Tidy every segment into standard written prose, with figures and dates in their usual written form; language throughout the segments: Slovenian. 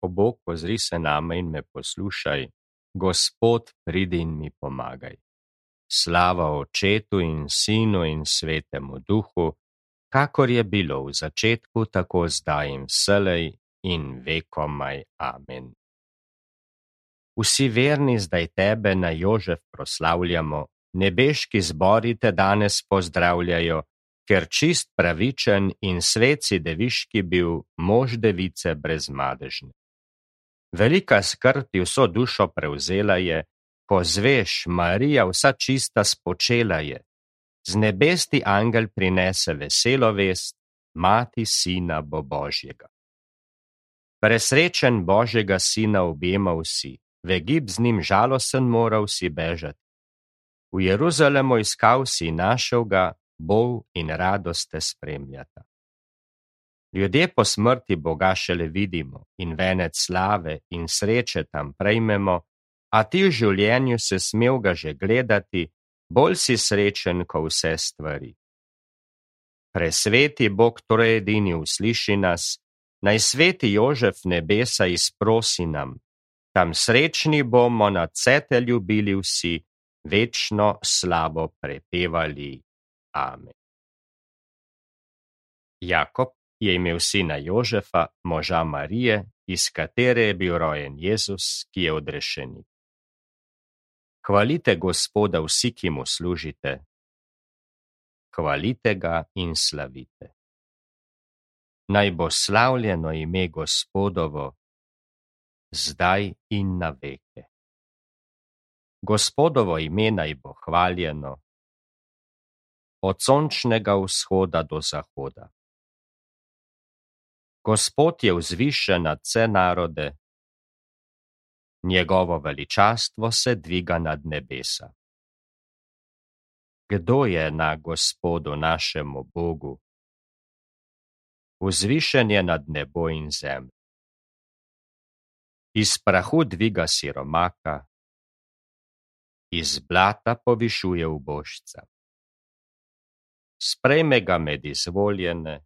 O Bog, ozri se name in me poslušaj. Gospod, pridi in mi pomagaj. Slava Očetu in Sinu in Svetemu Duhu, kakor je bilo v začetku, tako zdaj in vselej in vekomaj. Amen. Vsi verni zdaj tebe na Jožef proslavljamo, nebeški zbori te danes pozdravljajo, ker čist pravičen in svet si deviški bil, mož device brezmadežne. Velika skrb ti vso dušo prevzela je, ko zveš, Marija vsa čista spočela je. Z nebes ti angel prinese veselo vest, mati sina bo Božjega. Presrečen Božjega sina objemal si, v Egipt z njim žalosten moral si bežati. V Jeruzalemu iskal si, našel ga, bol in radost te spremljata. Ljudje po smrti Boga šele vidimo in venec slave in sreče tam prejmemo, a ti v življenju se smel ga že gledati, bolj si srečen, ko vse stvari. Presveti Bog torej edini usliši nas, naj sveti Jožef nebesa izprosi nam, tam srečni bomo nad vse te ljubili vsi, večno slavo prepevali. Amen. Jakob je imel sina Jožefa, moža Marije, iz katere je bil rojen Jezus, ki je odrešenik. Hvalite Gospoda vsi, ki mu služite. Hvalite ga in slavite. Naj bo slavljeno ime Gospodovo, zdaj in na veke. Gospodovo ime naj bo hvaljeno, od sončnega vzhoda do zahoda. Gospod je vzvišen nad vse narode, njegovo veličastvo se dviga nad nebesa. Kdo je na Gospodu našemu Bogu? Vzvišen je nad nebo in zemljo. Iz prahu dviga siromaka, iz blata povišuje ubožca. Sprejme ga med izvoljene,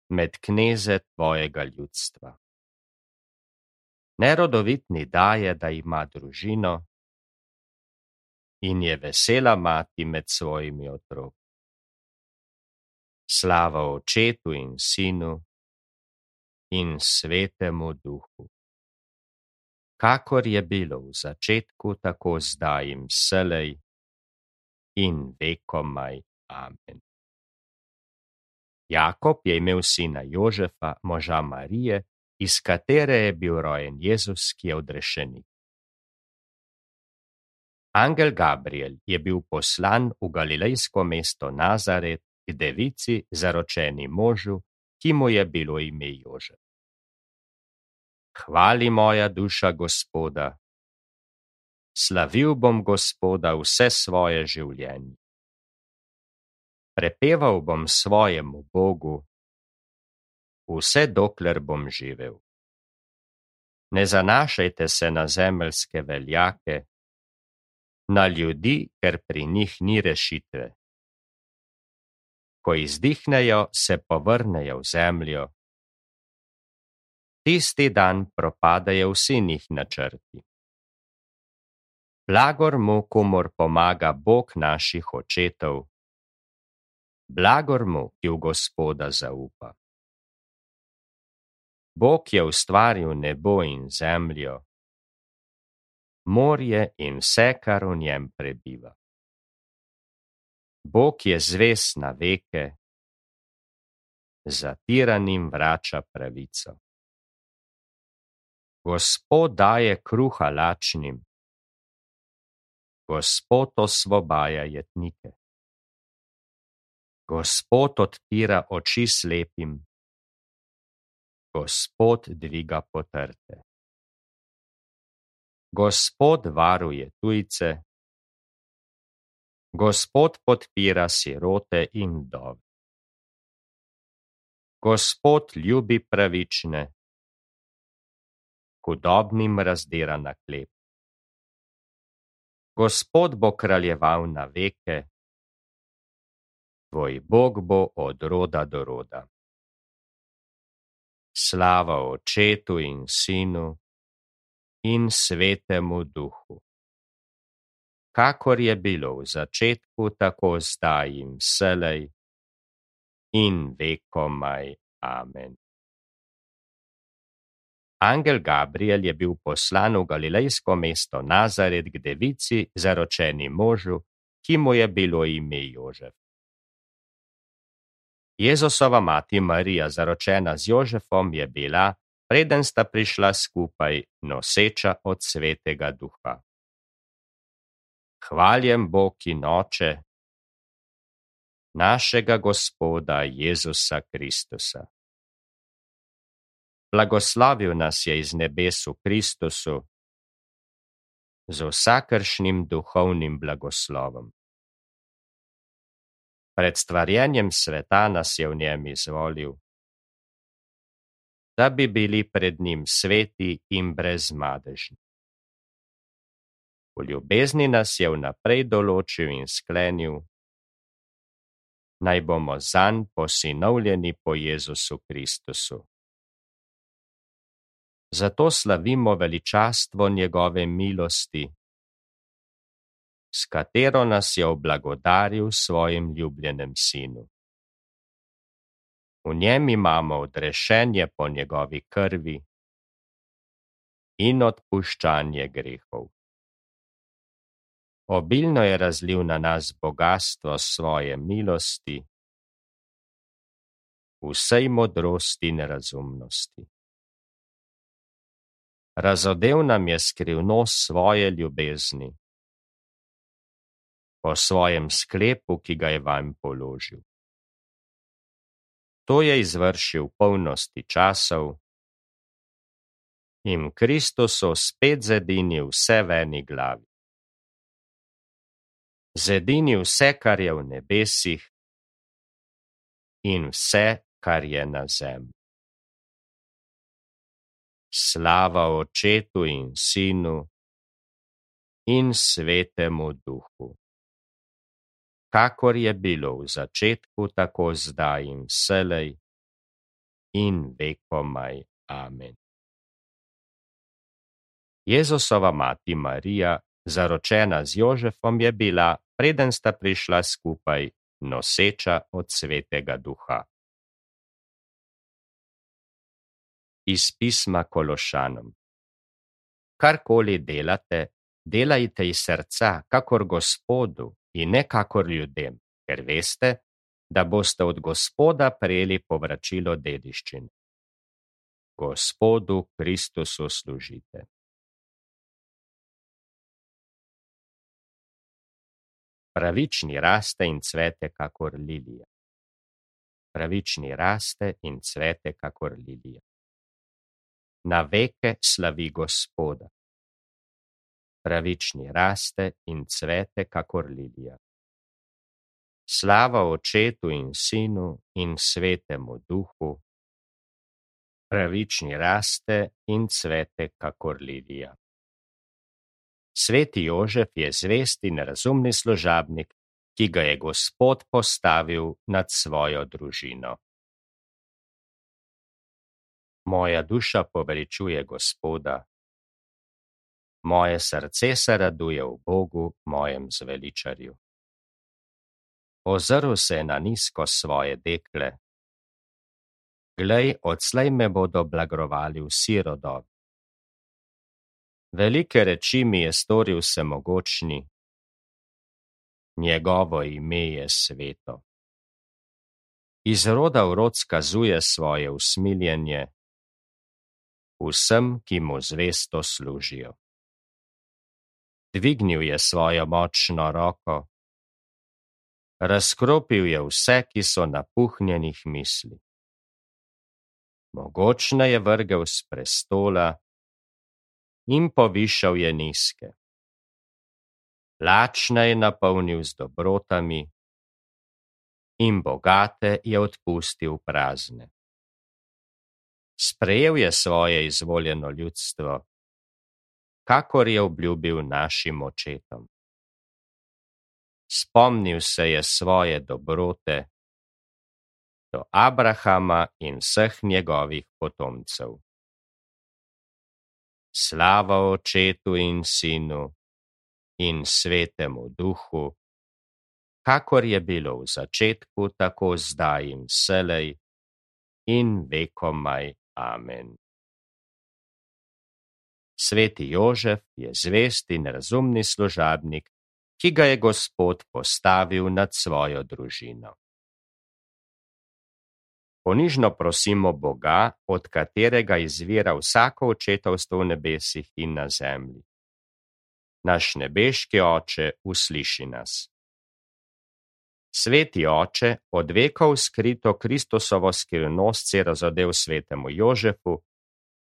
med kneze tvojega ljudstva. Nerodovitni daje, da ima družino, in je vesela mati med svojimi otroki. Slava Očetu in Sinu in Svetemu Duhu. Kakor je bilo v začetku, tako zdaj in vselej in vekomaj. Amen. Jakob je imel sina Jožefa, moža Marije, iz katere je bil rojen Jezus, ki je odrešenik. Angel Gabriel je bil poslan v galilejsko mesto Nazaret k devici, zaročeni možu, ki mu je bilo ime Jožef. Hvali moja duša Gospoda, slavil bom Gospoda vse svoje življenje. Prepeval bom svojemu Bogu, vse dokler bom živel. Ne zanašajte se na zemeljske veljake, na ljudi, ker pri njih ni rešitve. Ko izdihnejo, se povrnejo v zemljo. Tisti dan propadajo vsi njih načrti. Blagor mu, komur pomaga Bog naših očetov, blagor mu, ki v Gospoda zaupa. Bog je ustvaril nebo in zemljo, morje in vse, kar v njem prebiva. Bog je zvest na veke, zatiranim vrača pravico. Gospod daje kruha lačnim, Gospod osvobaja jetnike. Gospod odpira oči slepim, Gospod dviga potrte. Gospod varuje tujce, Gospod podpira sirote in vdove. Gospod ljubi pravične, hudobnim razdira na hleb. Gospod bo kraljeval na veke, tvoj Bog bo od roda do roda. Slava Očetu in Sinu in Svetemu Duhu. Kakor je bilo v začetku, tako zdaj in vselej in vekomaj. Amen. Angel Gabriel je bil poslan v galilejsko mesto Nazaret k devici, zaročeni možu, ki mu je bilo ime Jožef. Jezusova mati Marija, zaročena z Jožefom, je bila, preden sta prišla skupaj, noseča od Svetega Duha. Hvaljen Bog in Oče našega Gospoda Jezusa Kristusa. Blagoslavil nas je iz nebes v Kristusu z vsakršnim duhovnim blagoslovom. Pred stvarjenjem sveta nas je v njem izvolil, da bi bili pred njim sveti in brezmadežni. V ljubezni nas je vnaprej določil in sklenil, naj bomo zanj posinovljeni po Jezusu Kristusu. Zato slavimo veličastvo njegove milosti, s katero nas je oblagodaril svojim ljubljenem sinu. V njem imamo odrešenje po njegovi krvi in odpuščanje grehov. Obilno je razlil na nas bogastvo svoje milosti, vsej modrosti in razumnosti. Razodel nam je skrivnost svoje ljubezni, po svojem sklepu, ki ga je vanj položil. To je izvršil v polnosti časov in Kristusu spet zedinil vse v eni glavi. Zedinil vse, kar je v nebesih in vse, kar je na zemlji. Slava Očetu in Sinu in Svetemu Duhu. Kakor je bilo v začetku, tako zdaj in vselej in vekomaj. Amen. Jezusova mati Marija, zaročena z Jožefom, je bila, preden sta prišla skupaj, noseča od Svetega Duha. Iz pisma Kološanom. Karkoli delate, delajte iz srca, kakor Gospodu in ne kakor ljudem, ker veste, da boste od Gospoda prejeli povračilo dediščine. Gospodu Kristusu služite. Pravični raste in cvete kakor lilija. Pravični raste in cvete kakor lilija. Na veke slavi Gospoda. Pravični raste in cvete kakor lilija. Slava Očetu in Sinu in Svetemu Duhu. Pravični raste in cvete kakor lilija. Sveti Jožef je zvest in razumni služabnik, ki ga je Gospod postavil nad svojo družino. Moja duša poveličuje Gospoda, moje srce se raduje v Bogu, mojem zveličarju. Ozrl se je na nizko svoje dekle. Glej, odslej me bodo blagrovali vsi rodovi. Velike reči mi je storil Vsemogočni, njegovo ime je sveto. Iz roda v rod skazuje svoje usmiljenje vsem, ki mu zvesto služijo. Dvignil je svojo močno roko, razkropil je vse, ki so napuhnjenih misli. Mogočne je vrgel s prestola in povišal je nizke. Lačne je napolnil z dobrotami in bogate je odpustil prazne. Sprejel je svoje izvoljeno ljudstvo, kakor je obljubil našim očetom. Spomnil se je svoje dobrote, do Abrahama in vseh njegovih potomcev. Slava Očetu in Sinu in Svetemu Duhu, kakor je bilo v začetku, tako zdaj in vselej in vekomaj. Amen. Sveti Jožef je zvest in razumni služabnik, ki ga je Gospod postavil nad svojo družino. Ponižno prosimo Boga, od katerega izvira vsako očetovstvo v nebesih in na zemlji. Naš nebeški Oče, usliši nas. Sveti Oče, od vekov skrito Kristusovo skrivnost si razodel svetemu Jožefu,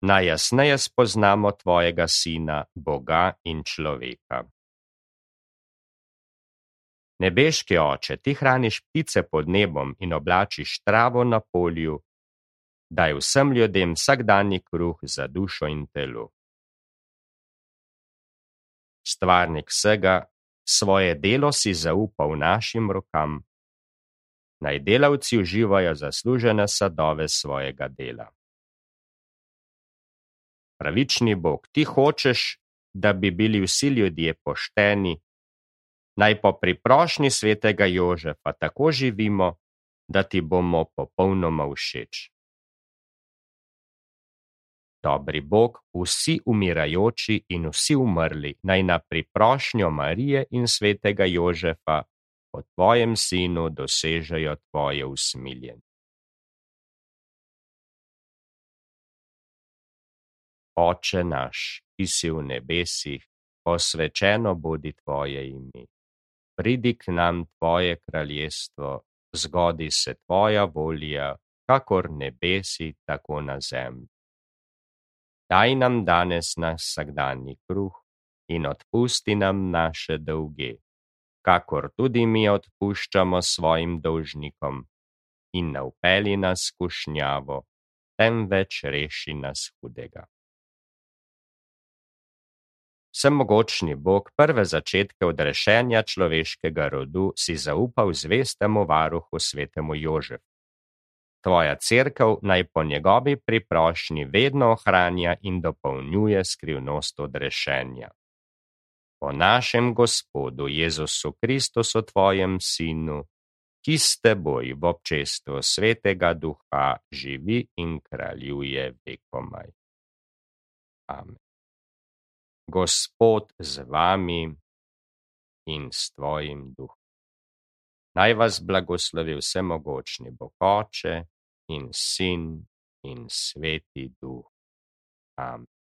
najjasneje spoznamo tvojega Sina, Boga in človeka. Nebeški Oče, ti hraniš ptice pod nebom in oblačiš travo na polju, daj vsem ljudem vsakdanji kruh za dušo in telo. Stvarnik vsega, svoje delo si zaupal našim rokam, naj delavci uživajo zaslužene sadove svojega dela. Pravični Bog, ti hočeš, da bi bili vsi ljudje pošteni, naj po priprošnji svetega Jožefa tako živimo, da ti bomo popolnoma všeč. Dobri Bog, vsi umirajoči in vsi umrli naj na priprošnjo Marije in svetega Jožefa po tvojem Sinu dosežejo tvoje usmiljenje. Oče naš, ki si v nebesih, posvečeno bodi tvoje ime. Pridi k nam tvoje kraljestvo, zgodi se tvoja volja, kakor nebesi, tako na zemlji. Daj nam danes naš vsakdanji kruh in odpusti nam naše dolge, kakor tudi mi odpuščamo svojim dolžnikom, in ne vpelji nas v skušnjavo, temveč reši nas hudega. Vsemogočni Bog, prve začetke odrešenja človeškega rodu si zaupal zvestemu varuhu svetemu Jožefu. Tvoja cerkev naj po njegovi priprošnji vedno ohranja in dopolnjuje skrivnost odrešenja. Po našem Gospodu Jezusu Kristusu, tvojem Sinu, ki s teboj v občestvu Svetega Duha živi in kraljuje vekomaj. Amen. Gospod z vami in s tvojim duhom. Naj vas blagoslovi vsemogočni Bog Oče in Sin in Sveti Duh. Amen.